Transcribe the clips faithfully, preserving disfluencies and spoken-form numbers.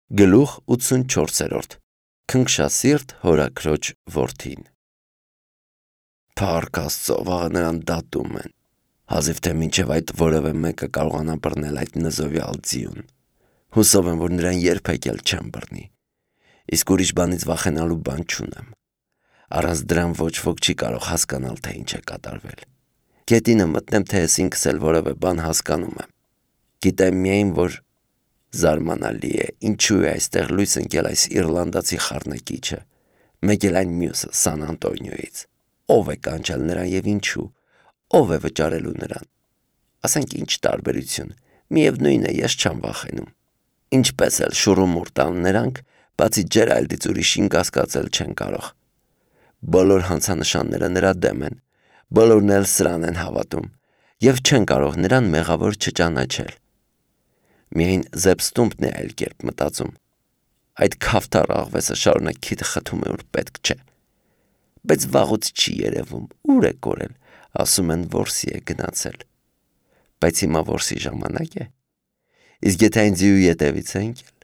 Գլուխ ութսունչորսերորդ Քնքշասիրտ հորաքրոջ որդին Փառք Աստծո, վաղը նրան դատում են, հազիվ թե մինչև այդ որևէ մեկը կարողանա բռնել այդ նզովյալ ձիուն։ Հուսով եմ, որ նրան երբեք էլ չեմ բռնի, իսկ ուրիշ բանից վախենալու բան չունեմ։ Առանց դրան ոչ ոք չի կարող հասկանալ, թե ինչ է կատարվել։ Գետինը մտնեմ, թե ես ինքս էլ որևէ բան հասկանում եմ։ Գիտեմ միայն, որ զարմանալի է, ինչու է այստեղ լույս ընկել այս իռլանդացի խառնակիչը, մեկ էլ այն մյուսը Սան Անտոնիոյից։ Ո՞վ է կանչել նրան եւ ինչու, ո՞վ է վճարելու նրան։ Ասենք ինչ տարբերություն, միևնույն է, ես չեմ վախենում։ Ինչպես էլ շուռումուռ տան նրանք, բացի Ջերալդից ուրիշին կասկածել չեն կարող։ Բոլոր հանցանշանները նրա դեմ են, բոլորն էլ սրան են հավատում եւ չեն կարող նրան մեղավոր չճանաչել։ Միայն Զեբստումպն է այլ կերպ մտածում։ Այդ քավթար աղվեսը շարունակ քիթը խթում է, որ պետք չէ։ Բայց վաղուց չի երևում, ուր է կորել, ասում են որսի է գնացել։ Բայց հիմա որսի ժամանակ է։ Իսկ եթե այն ձիու ետևից է ընկել,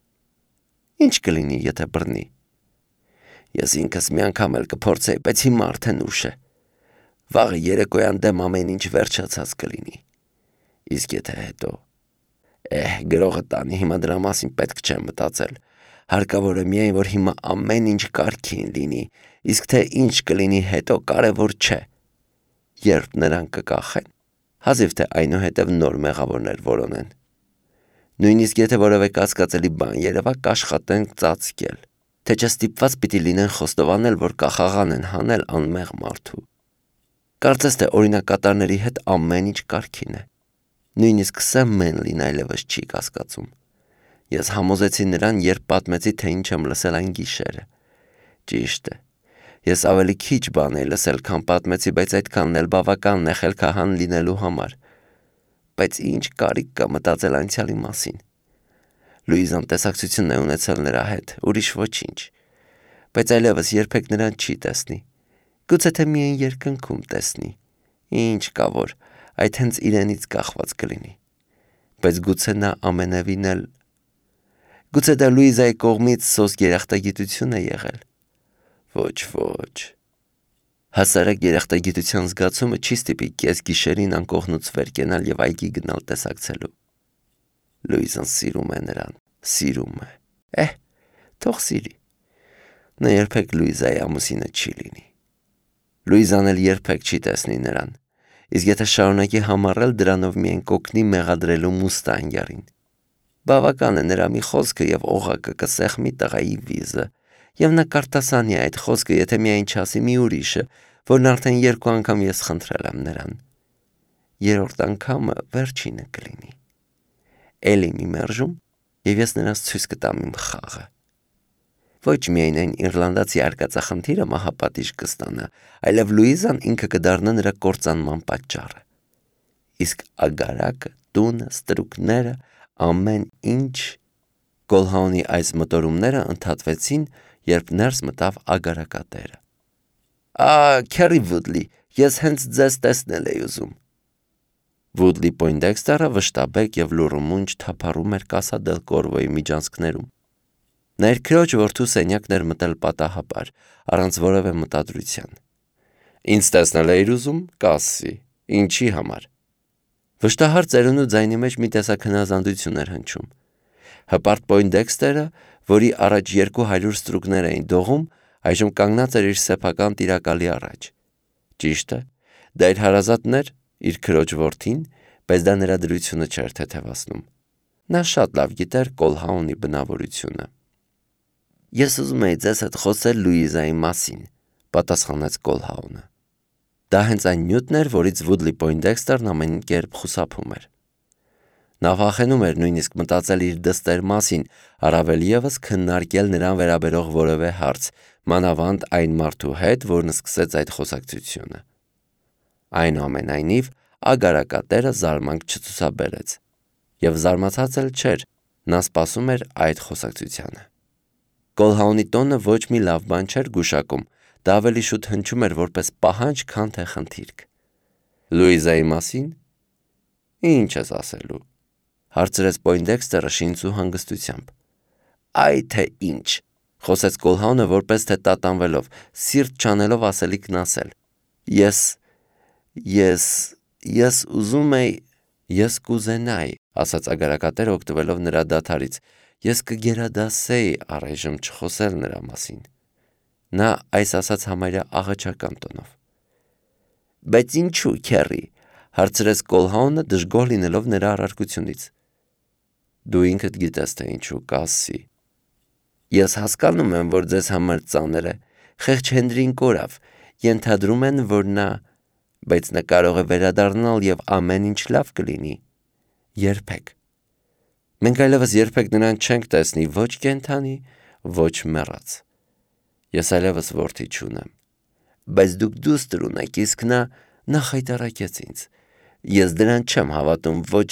ինչ կլինի, եթե բռնի։ Ես ինքս մի անգամ էլ կփորձեի, բայց հիմա արդեն ուշ է։ Վաղը երեկոյան դեմ ամեն ինչ վերջացած կլինի։ Իսկ եթե հետո Էհ, գրողը տանի, հիմա դրա մասին պետք չէ մտածել։ Հարկավոր է միայն, որ հիմա ամեն ինչ կարգին լինի, իսկ թե ինչ կլինի հետո կարևոր չէ։ Երբ նրանք կկախեն, հազիվ թե այնուհետև նոր մեղավորներ որոնեն։ Նույնիսկ եթե որևէ կասկածելի բան երևա, կաշխատեն ծածկել, թե չէ ստիպված պիտի լինեն խոստովանել, որ կախաղան են հանել անմեղ մարդու։ Կարծես թե օրինակատարների հետ ամեն ինչ կարգին է։ Նույնիսկ Սեմ Մենլին այլևս չի կասկածում։ Ես համոզեցի նրան, երբ պատմեցի, թե ինչ եմ լսել այն գիշերը։ Ճիշտ է։ Ես ավելի քիչ բան էի լսել, քան պատմեցի, բայց այդքանն էլ բավականն է խելքահան լինելու համար։ Բայց ինչ կարիք կա մտածել անցյալի մասին։ Լուիզան տեսակցություն է ունեցել նրա հետ, ուրիշ ոչինչ։ Բայց այլևս երբեք նրան չի տեսնի։ Գուցե թե միայն երկնքում տեսնի։ Ինչ կա որ այդ հենց իրենից կախված կլինի։ Բայց գուցե նա ամենևին էլ Գուցե դա Լուիզայի կողմից սոսկ երախտագիտություն է եղել։ Ոչ, ոչ։ Հասարակ երախտագիտության զգացումը չի ստիպի կես գիշերին անկողնուց վեր կենալ եւ այգի գնալ տեսակցելու։ Լուիզան սիրում է նրան, սիրում է։ Էհ, թող սիրի։ Նա երբեք Լուիզայի ամուսինը չի լինի։ Լուիզան էլ երբեք չի տեսնի նրան։ Իսկ եթե շարունակի համառել, դրանով միայն կօգնի մեղադրելու մուստանգերին։ Բավական է նրա մի խոսքը եւ օղակը կսեղմի տղայի վիզը, եւ նա կարտասանի այդ խոսքը, եթե միայն չասի մի ուրիշը, որն արդեն երկու անգամ ես խնդրել եմ նրան։ Երրորդ անգամը վերջինը կլինի։ Էլի մի մերժում, եւ ես նրանց ցույց կտամ իմ խաղը։ Ոչ միայն այն իռլանդացի արկածախնդիրը մահապատիժ կստանա, այլև Լուիզան ինքը կդառնա նրա կործանման պատճառը։ Իսկ ագարակը, տունը, ստրուկները, ամեն ինչ Կոլհաունի այս մտորումները ընդհատվեցին, երբ ներս մտավ ագարակատերը։ Ա, Քերի Վուդլի, ես հենց ձեզ տեսնել էի ուզում։ Վուդլի Պոյնդեքստերը վշտաբեկ եւ լուրումունջ թափառում էր Կասա դել Կորվոյի միջանցքներում։ Նա իր քրոջ որդու սենյակն էր մտել պատահաբար, առանց որևէ մտադրության։ Ինձ տեսնել էիր ուզում, կասի, ինչի համար։ Վշտահար ծերունու ձայնի մեջ մի տեսակ հնազանդություն էր հնչում։ Հպարտ Պոյնդեքստերը, որի առաջ երկու հարյուր ստրուկներ էին դողում, այժմ կանգնած էր իր սեփական տիրակալի առաջ։ Ճիշտ է, դա իր հարազատն էր, իր քրոջ որդին, բայց դա նրա դրությունը չէր թեթևացնում։ Նա շատ լավ գիտեր Կոլհաունի բնավորությունը։ Ես ուզում էի ձեզ հետ խոսել Լուիզայի մասին, պատասխանեց Կոլհաունը։ Դա հենց այն նյութն էր, որից Վուդլի Պոյնդեքստերն ամեն կերպ խուսափում էր։ Նա վախենում էր նույնիսկ մտածել իր դստեր մասին, առավել ևս քննարկել նրան վերաբերող որևէ հարց, մանավանդ այն մարդու հետ, որն սկսեց այդ խոսակցությունը։ Այնուամենայնիվ, ագարակատերը զարմանք չցուցաբերեց։ Եվ զարմացած էլ չէր, նա սպասում էր այդ խոսակցությանը։ Կոլհաունի տոնը ոչ մի լավ բան չէր գուշակում, դա ավելի շուտ հնչում էր որպես պահանջ, քան թե խնդիրք։ Լուիզայի մասին։ Ինչ ես ասելու, հարցրեց Պոյնդեքստերը շինծու հանգստությամբ։ Այ թե ինչ, խոսեց Կոլհաունը որպես թե տատանվելով, սիրտ չանելով ասելիքն ասել։ Ես, ես, ես ուզում էի, ես կուզենայի, ասաց ագարակատերը օգտվելով նրա դադարից, ես կգերադասեի առայժմ չխոսել նրա մասին։ Նա այս ասաց համարյա աղաչական տոնով։ Բայց ինչու, քեռի, հարցրեց Կոլհաունը դժգոհ լինելով նրա առարկությունից։ Դու ինքդ գիտես թե ինչու, կասի։ Ես հասկանում եմ, որ ձեզ համար ծանր է, խեղճ Հենրին կորավ, ենթադրում են, որ նա, բայց նա կարող է վերադառնալ և ամեն ինչ լավ կլինի։ Երբեք։ Մենք այլևս երբեք նրան չենք տեսնի ոչ կենդանի, ոչ մեռած։ Ես այլևս որդի չունեմ։ Բայց դուք դուստր ունեք, իսկ նա, նա խայտառակեց ինձ։ Ես դրան չեմ հավատում, ոչ,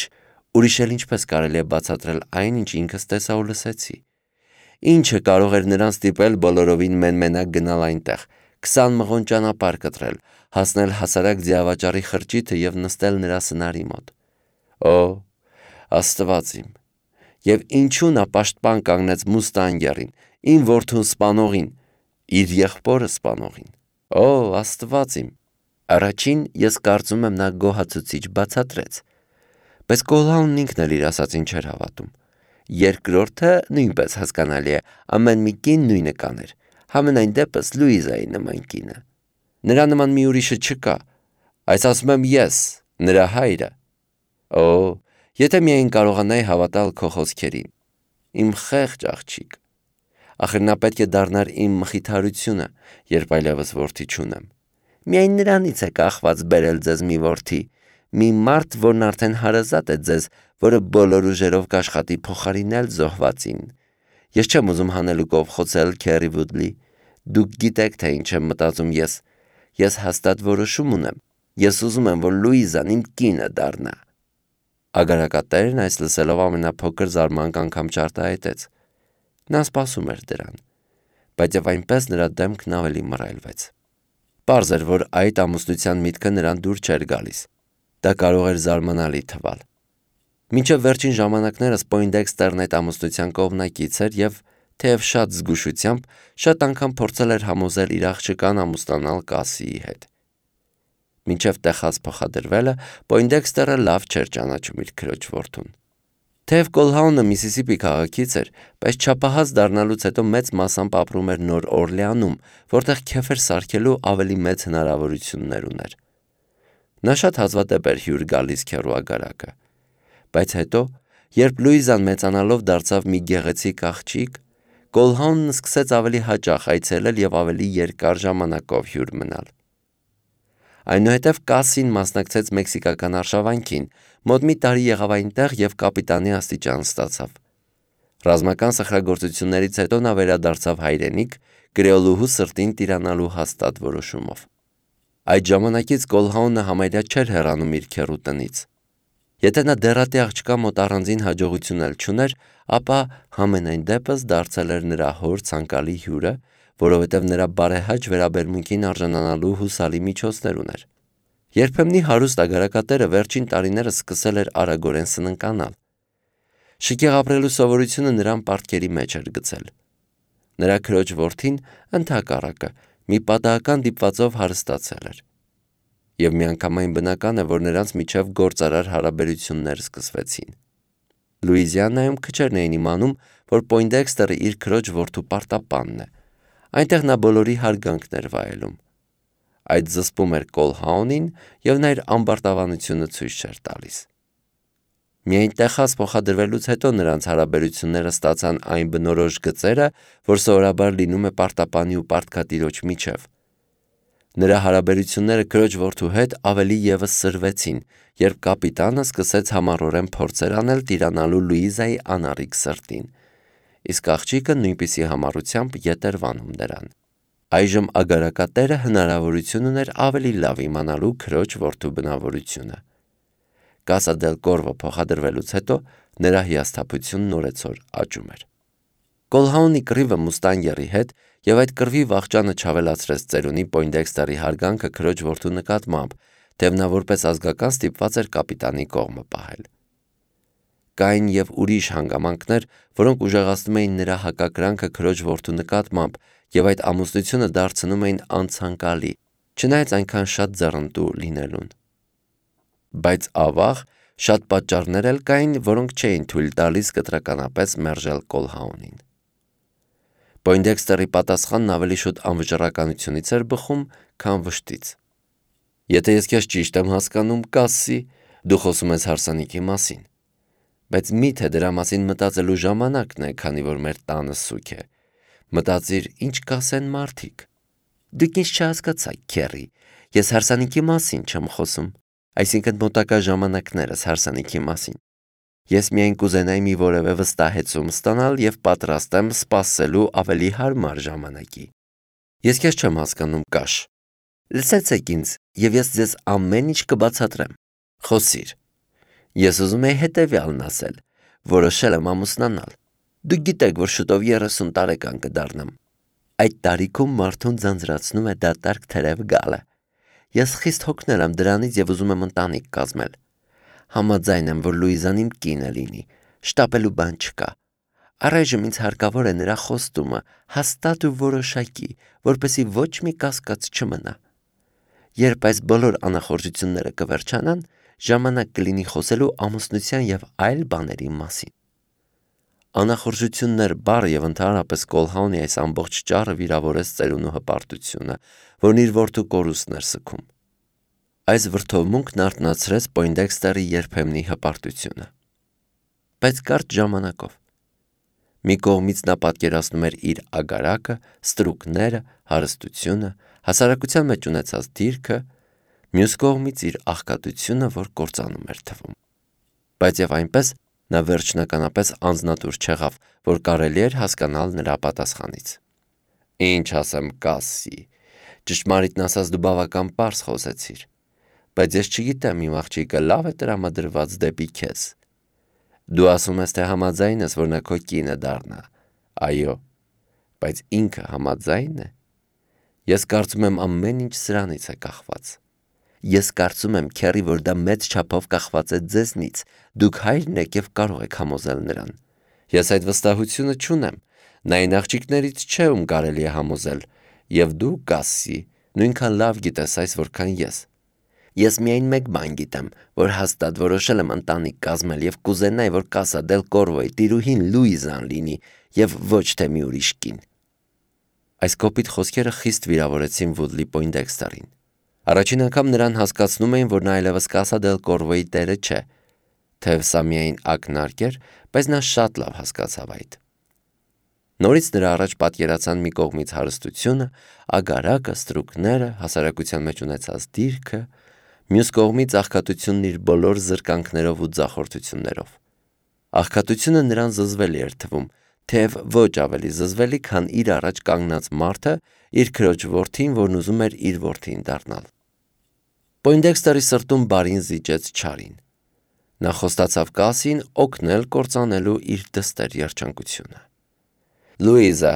ուրիշ էլ ինչպես կարելի է բացատրել այն, ինչ ինքս տեսա ու լսեցի։ Ինչը կարող էր նրան ստիպել բոլորովին մեն-մենակ գնալ այնտեղ, քսան մղոն ճանապարհ կտրել, հասնել հասարակ ձիավաճառի խրճիթը և նստել նրա սնարի մոտ։ Օ, Աստված իմ։ Եվ ինչու նա պաշտպան կանգնեց Մուստանգերին, իմ որդուն սպանողին, իր եղբորը սպանողին։ Օ, Աստված իմ։ Առաջին ես կարծում եմ նա գոհացուցիչ բացատրեց, բայց Կոլհաունն ինքն էլ իր ասածին չէր հավատում։ Երկրորդը նույնպես հասկանալի է, ամեն մի կին նույնը կաներ, համենայն դեպս Լուիզայի նման կինը։ Նրա նման մի ուրիշը չկա, այս ասում եմ ես, նրա հայրը։ Օ, եթե միայն կարողանայի հավատալ քո խոսքերին, իմ խեղճ աղջիկ։ Ախր նա պետք է դառնար իմ մխիթարությունը, երբ այլևս որդի չունեմ։ Միայն նրանից է կախված բերել ձեզ մի որդի, մի մարդ, որն արդեն հարազատ է ձեզ, որը բոլոր ուժերով կաշխատի փոխարինել զոհվածին։ Ես չեմ ուզում հանելուկով խոցել Քերի Վուդլի։ Դուք գիտեք, թե ինչ եմ մտածում ես։ Ես հաստատ որոշում ունեմ։ Ես ուզում եմ, որ Լուիզան իմ կինը դառնա։ Ագարակատերն այս լսելով ամենափոքր զարմանք անգամ չարտահայտեց։ Նա սպասում էր դրան, բայց եւ այնպես նրա դեմքն ավելի մռայլվեց։ Պարզ էր, որ այդ ամուսնության միտքը նրան դուր չէր գալիս։ Դա կարող էր զարմանալի թվալ։ Մինչև վերջին ժամանակներս Պոյնդեքստերն այդ ամուսնության կողմնակից էր եւ թեև շատ զգուշությամբ, շատ անգամ փորձել էր համոզել իր աղջկան ամուսնանալ Կասիի հետ։ Մինչև Տեխաս փոխադրվելը Պոյնդեքստերը լավ չէր ճանաչում իր քրոջ որդուն։ Թեև Կոլհաունը Միսիսիպի քաղաքից էր, բայց չափահաս դառնալուց հետո մեծ մասամբ ապրում էր Նոր Օրլեանում, որտեղ քեֆեր սարքելու ավելի մեծ հնարավորություններ ուներ։ Նա շատ հազվադեպ էր հյուր գալիս քեռու ագարակը։ Բայց հետո, երբ Լուիզան մեծանալով դարձավ մի գեղեցիկ աղջիկ, Կոլհաունն սկսեց ավելի հաճախ այցելել եւ ավելի երկար ժամանակով հյուր մնալ։ Այնուհետև Կասին մասնակցեց մեքսիկական արշավանքին, մոտ մի տարի եղավ այնտեղ եւ կապիտանի աստիճան ստացավ։ Ռազմական սխրագործություններից հետո նա վերադարձավ հայրենիք, կրեոլուհու սրտին տիրանալու հաստատ որոշումով։ Այդ ժամանակից Կոլհաունը համարյա չէր հեռանում իր քեռու տնից։ Եթե նա դեռատի աղջկա մոտ առանձին հաջողություն էլ չուներ, ապա համենայն դեպս դարձել էր նրա հոր ցանկալի հյուրը, որովհետև նրա բարեհաճ վերաբերմունքին արժանանալու հուսալի միջոցներ ուներ։ Երբեմնի հարուստ ագարակատերը վերջին տարիներս սկսել էր արագորեն սննկանալ։ Շքեղ ապրելու սովորությունը նրան պարտքերի մեջ էր գցել։ Նրա քրոջ որդին ընդհակառակը մի պատահական դիպվածով հարստացել էր։ Եվ միանգամայն բնական է, որ նրանց միջև գործարար հարաբերություններ սկսվեցին։ Լուիզիանայում քչերն էին իմանում, որ Պոյնդեքստերը իր քրոջ որդու պարտապանն է։ Այնտեղ նա բոլորի հարգանքն էր վայելում։ Այդ զսպում էր Կոլհաունին և նա իր ամբարտավանությունը ցույց չէր տալիս։ Միայն Տեխաս փոխադրվելուց հետո նրանց հարաբերությունները ստացան այն բնորոշ գծերը, որ սովորաբար լինում է պարտապանի ու պարտքատիրոջ միջև։ Նրա հարաբերությունները քրոջ որդու հետ ավելի ևս սրվեցին, երբ կապիտանը սկսեց համառորեն փորձեր անել տիրանալու Լուիզայի անառիկ սրտին, իսկ աղջիկը նույնպիսի համառությամբ ետ էր վանում նրան։ Այժմ ագարակատերը հնարավորություն ուներ ավելի լավ իմանալու քրոջ որդու բնավորությունը։ Կասա դել Կորվո փոխադրվելուց հետո նրա հիասթափությունն օրեցօր աճում էր։ Կոլհաունի կռիվը Մուստանգերի հետ եւ այդ կռվի վախճանը չավելացրեց ծերունի Պոյնդեքստերի հարգանքը քրոջ որդու նկատմամբ, թեև նա որպես ազգական ստիպված էր կապիտանի կողմը պահել։ կային և ուրիշ հանգամանքներ, որոնք ուժեղացնում էին նրա հակակրանքը քրոջ որդու նկատմամբ և այդ ամուսնությունը դարձնում էին անցանկալի, չնայած այնքան շատ ձեռնտու լինելուն։ Բայց ավաղ շատ պատճառներ էլ կային, որոնք չէին թույլ տալիս կտրականապես մերժել Կոլհաունին։ Պոյնդեքստերի պատասխանն ավելի շուտ անվճռականությունից էր բխում, քան վշտից։ Եթե ես քեզ ճիշտ եմ հասկանում, Կասսի, դու խոսում ես հարսանիքի մասին, բայց միթե դրա մասին մտածելու ժամանակն է, քանի որ մեր տանը սուգ է։ Մտածիր, ինչ կասեն մարդիկ։ Դուք ինձ չհասկացաք, Քերի, ես հարսանիքի մասին չեմ խոսում, այսինքն մոտակա ժամանակներս հարսանիքի մասին։ Ես միայն կուզենայի մի որևէ վստահեցում ստանալ և պատրաստ եմ սպասելու ավելի հարմար ժամանակի։ Ես քեզ չեմ հասկանում, Կաշ։ Լսեցեք ինձ, և ես ձեզ ամեն ինչ կբացատրեմ։ Խոսիր։ Ես ուզում եի հետևյալն ասել. որոշել եմ ամուսնանալ։ Դուք գիտեք, որ շուտով երեսուն տարեկան կդառնամ։ Այդ տարիքում մարդուն ձանձրացնում է դատարկ թերև գալը։ Ես խիստ հոգնել եմ դրանից և ուզում եմ ընտանիք կազմել։ Համաձայն եմ, որ Լուիզան իմ կինը լինի, շտապելու բան չկա։ Առայժմ ինձ հարկավոր է նրա խոստումը, հաստատ ու որոշակի, որպեսզի ոչ մի կասկած չմնա։ Երբ այս բոլոր անախորժությունները կվերջանան, ժամանակ կլինի խոսելու ամուսնության և այլ բաների մասին։ Անախորժություններ բառը և ընդհանրապես Կոլհաունի այս ամբողջ ճառը վիրավորեց ծերունու հպարտությունը, որն իր որդու կորուստն էր սգում։ Այս վրդովմունքն արթնացրեց Պոյնդեքստերի երբեմնի հպարտությունը։ Բայց կարճ ժամանակով։ Մի կողմից նա պատկերացնում էր իր ագարակը, ստրուկները, հարստությունը, հասարակության մեջ ունեցած դիրքը, մյուս կողմից իր աղքատությունը, որ կործանում էր թվում։ Բայց և այնպես նա վերջնականապես անձնատուր չեղավ, որ կարելի էր հասկանալ նրա պատասխանից։ Ինչ ասեմ, Կասսի, ճշմարիտն ասած դու բավական պարզ խոսեցիր, բայց ես չգիտեմ իմ աղջիկը լավ է տրամադրված դեպի քեզ։ Դու ասում ես, թե համաձայն ես, որ նա քո կինը դառնա։ Այո, բայց ինքը համաձայն է։ Ես կարծում եմ ամեն ինչ սրանից է կախված։ Ես կարծում եմ, Քերի, որ դա մեծ չափով կախված է ձեզնից, դուք հայրն եք և կարող եք համոզել նրան։ Ես այդ վստահությունը չունեմ, նա այն աղջիկներից չէ, ում կարելի է համոզել, և դու, Կասսի, նույնքան լավ գիտես այս, որքան ես։ Ես միայն մեկ բան գիտեմ, որ հաստատ որոշել եմ ընտանիք կազմել և կուզենայի, որ Կասա դել Կորվոյի տիրուհին Լուիզան լինի և ոչ թե մի ուրիշ կին։ Այս կոպիտ խոսքերը խիստ վիրավորեցին Վուդլի Պոյնդեքստերին։ Առաջին անգամ նրան հասկացնում էին, որ նա այլևս Կասա դել Կորվոյի տերը չէ, թեև սա միայն ակնարկ էր, բայց նա շատ լավ հասկացավ այդ։ Նորից նրա առաջ պատկերացան մի կողմից հարստությունը, ագարակը, ստրուկները, հասարակության մեջ ունեցած դիրքը, մյուս կողմից աղքատությունն իր բոլոր զրկանքներով ու ձախորդություններով։ Աղքատությունը նրան զզվելի էր թվում, թեև ոչ ավելի զզվելի, քան իր առաջ կանգնած մարդը, իր քրոջ որդին, որն ուզում էր իր որդին դառնալ։ Պոյնդեքստերի սրտում բարին զիջեց չարին։ Նա խոստացավ Կասսին օգնել կործանելու իր դստեր երջանկությունը։ Լուիզա։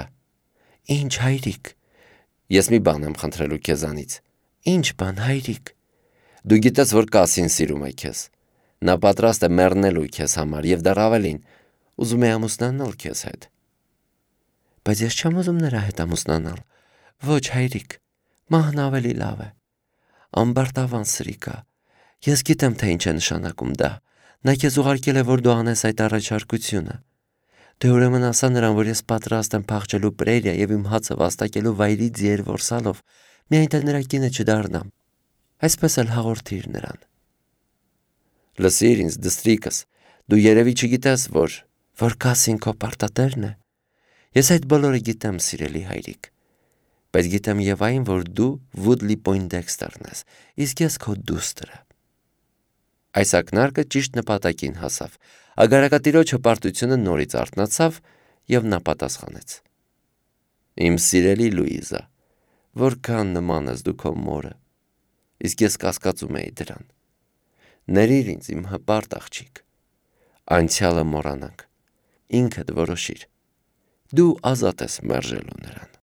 Ինչ, հայրիկ։ Ես մի բան եմ խնդրելու քեզանից։ Ինչ բան, հայրիկ։ Դու գիտես, որ Կասսին սիրում է քեզ։ Նա պատրաստ է մեռնելու քեզ համար և դեռ ավելին, ուզում է ամուսնանալ քեզ հետ։ Բայց ես չեմ ուզում նրա հետ ամուսնանալ։ Ոչ, հայրիկ, մահն ավելի լավ է։ Ամբարտավան սրիկա։ Ես գիտեմ, թե ինչ է նշանակում դա։ Նա քեզ ուղարկել է, որ դու անես այդ առաջարկությունը։ Դե ուրեմն ասա նրան, որ ես պատրաստ եմ փախչելու Պրերիա և իմ հացը վաստակելու վայրի ձիեր որսալով, միայն թե նրա կինը չդառնամ։ Այսպես էլ հաղորդիր նրան։ Լսիր ինձ, դստրիկս, դու երևի չգիտես, որ որ Կասսին քո պարտատերն է։ Ես այդ բոլորը գիտեմ, սիրելի հայրիկ, բայց գիտեմ և այն, որ դու Վուդլի Պոյնդեքստերն ես, իսկ ես քո դուստրը։ Այս ակնարկը ճիշտ նպատակին հասավ։ Ագարակատիրոջ հպարտությունը նորից արթնացավ, և նա պատասխանեց. Իմ սիրելի Լուիզա, որքան նման ես դու քո մորը, իսկ ես կասկածում էի դրան։ Ներիր ինձ, իմ հպարտ աղջիկ, անցյալը մոռանանք, ինքդ որոշիր, դու ազատ ես մերժելու նրան։